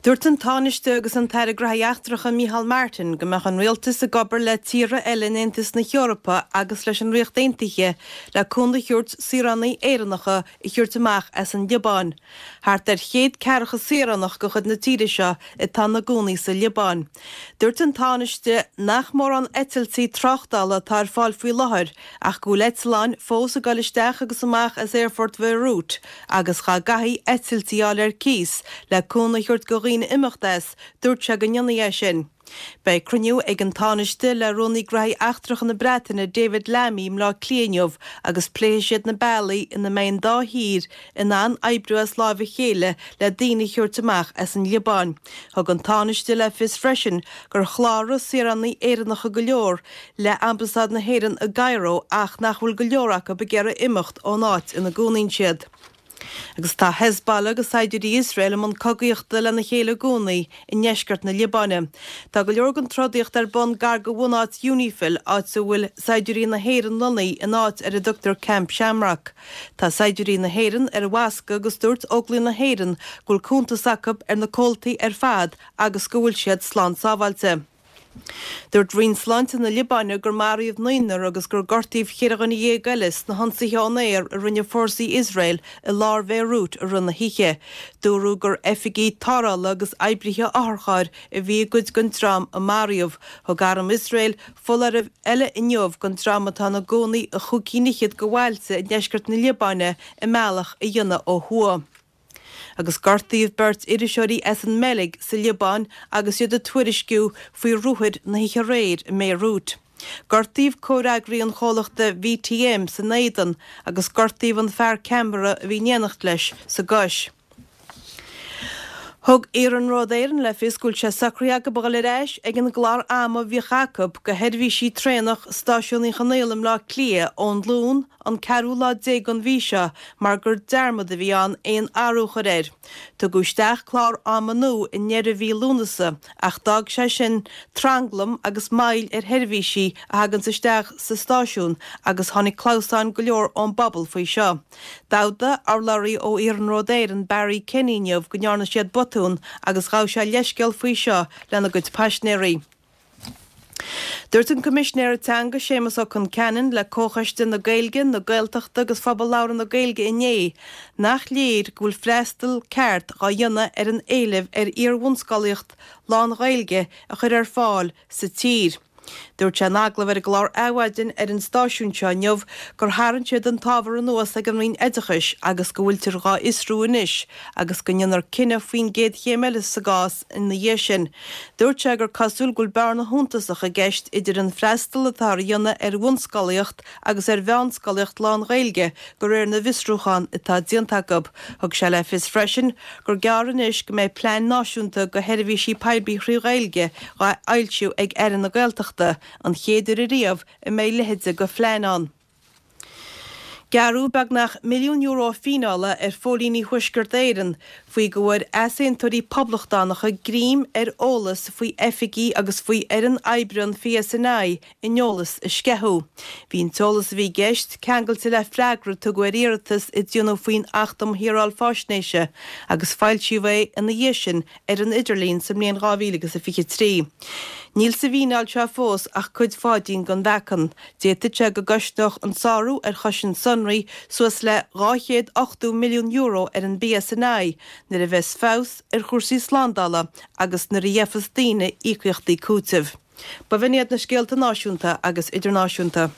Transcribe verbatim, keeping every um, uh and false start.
Dúirt an Tánaiste agus an tAire Gnóthaí Eachtracha Micheál Martin go mbeadh an rialtas ag obair le tíortha eile in Aontas na hEorpa agus leis an Ríocht Aontaithe le cúnamh a thabhairt saoránaigh Éireannacha a thabhairt amach as an Liobáin. Thart ar chéad ceathracha saoránach de chuid na tíre seo atá ina gcónaí sa Liobáin. Dúirt an Tánaiste nach mórán eitiltí tráchtála atá ar fáil faoi láthair ach go bhfuil eitleáin fós ag dul isteach agus amach as aerfort Bheirút agus dá gcaithfí eitiltí a fháil ar cíos le cúnamh a thabhairt do dhaoine imeacht as, dúirt sé go ndéanfaí é sin. Beidh cruinniú ag an Tánaiste le Rúnaí Gnóthaí Eachtracha na Breataine David Lammy i mBleá Cliath inniu agus pléifidh siad na bealaí ina mbeidh an dá thír in ann oibriú as láimh a chéile le daoine a thabhairt amach as an Liobáin. Thug an Tánaiste le fios freisin gur chláraigh saoránaigh Éireannacha go leor le Ambasáid na hÉireann i gCairo ach nach bhfuil go leor acu ag iarraidh imeacht ón áit ina gcónaíonn siad. Agus tá Hezbollah agus saighdiúirí Iosrael i mbun cogaíochta lena chéile i gcónaí i ndeisceart na Liobáine. Tá go leor den trodaíocht ar bun gar do bhunáit Unifil, áit a bhfuil saighdiúirí na hÉireann lonnaithe in áit ar a dtugtar Camp Shamrock. Tá saighdiúirí na hÉireann ar an bhfoscadh agus dúirt Óglaigh na hÉireann go bhfuil cuntas acu ar na comhaltaí ar fad agus go bhfuil siad slán sábháilte. Dúirt Roinn Sláinte na Liobáine gur maraíodh naonúr agus gur gortaíodh ceithre dhuine dhéag eile sna hionsaithe ón aer a rinne fórsaí Iosrael i lár Bhéiriút i rith na hoíche. Dúradh gur oifigigh tarrthála agus oibrithe otharchairr a bhí i gcuid den dream a maraíodh. Thug arm Iosrael foláireamh eile inniu don dream atá ina gcónaí i chúig cinn fhichead de bhailte i ndeisceart na Liobáine a mbealach a dhéanamh ó thuaidh. Agus gortaíodh beirt iriseoirí as an mBeilg sa Liobáin agus iad ag tuairisciú faoi ruathair na hoíche aréir i mBéiriút. Gortaíodh comhfhreagraí an chomhlachta VTM san éadan agus gortaíodh an fear ceamara a bhí in éineacht leis sa gcois. Thug Iarnród Éireann le fios go bhfuil sé socraithe acu a dhul ar ais ag an gclár ama a bhíodh acu do sheirbhísí traenach Stáisiún Uí Chonaill i mBleá Cliath ón Luan an ceathrú lá déag den mhí seo mar gur dearmad a bhí ann aon athrú a chur air. Tugadh isteach clár ama nua i ndeireadh mhí Lúnasa ach d'fhág sé sin tranglam agus moill ar sheirbhísí a thaganns isteach sa stáisiún agus tháinig clamhsáin go leor ón bpobal faoi seo. D'admhaigh urlabhraí ó Iarnród Éireann Barry Kenny inniu go ndearna siad botún agus ghabh sé leithscéal faoi seo lena gcuid paisinéirí. Dúirt an Coimisinéir Teanga Séamus Ó Concheanainn le Comhchoiste na Gaeilge, na Gaeltachta agus Phobal Labhartha na Gaeilge inné nach léir go bhfuil freastal ceart á dhéanamh ar an éileamh ar iar-bhunscolaíocht lán-Ghaeilge a chur ar fáil sa tír. Dúirt sé in agallamh ar an gclár Adhmhaidin ar an stáisiún seo inniu gur tharraing siad an t-ábhar anuas ag an Roinn Oideachais agus go bhfuiltear dhá fhiosrú anois agus go ndéanfar cinneadh faoin gcéad chéim eile sa gcás ina dhiaidh sin. Dúirt sé gur cosúil go bhfuil bearna shuntasach i gceist idir an freastal atá á dhéanamh ar bhunscolaíocht agus ar mheánscolaíocht lán-Ghaeilge de réir na bhfiosrúchán atá déanta acu. Thug sé le fios freisin gur gearr anois go mbeidh plean náisiúnta do sheirbhísí poiblí trí Ghaeilge á fhoilsiú ag Aire na Gaeltachta, an chéad uair ariamh a mbeidh a leithéid de phlean ann. Gearradh beagnach milliún euro fíneála ar phóilíní Thuaisceart Éireann faoi go bhfuair easaontóirí poblachtánacha greim ar eolas faoi oifigí agus faoi fhoireann oibre an PSNI a n-eolas a sceitheadh. Bhí an t-eolas a bhí i gceist ceangailte le freagra a tugadh ar iarratas a déanadh faoin Acht um Shaoráil Faisnéise agus foilsíodh é ina dhiaidh sin ar an idirlíon sa mbliain dhá mhíle agus a fiche trí. Níl sa bhfíneáil seo fós ach cuid pháidín den mheacan. D'fhéadfadh sé go gcosnódh an sárú ar chosaint sonraí suas le dhá chéad ochtó milliún euro ar an bPSNI nuair a bheas feabhas ar chúrsaí slándála agus nuair a gheofas daoine íocaíochtaí cúitimh. Ba bh'in iad na scéalta náisiúnta agus idirnáisiúnta.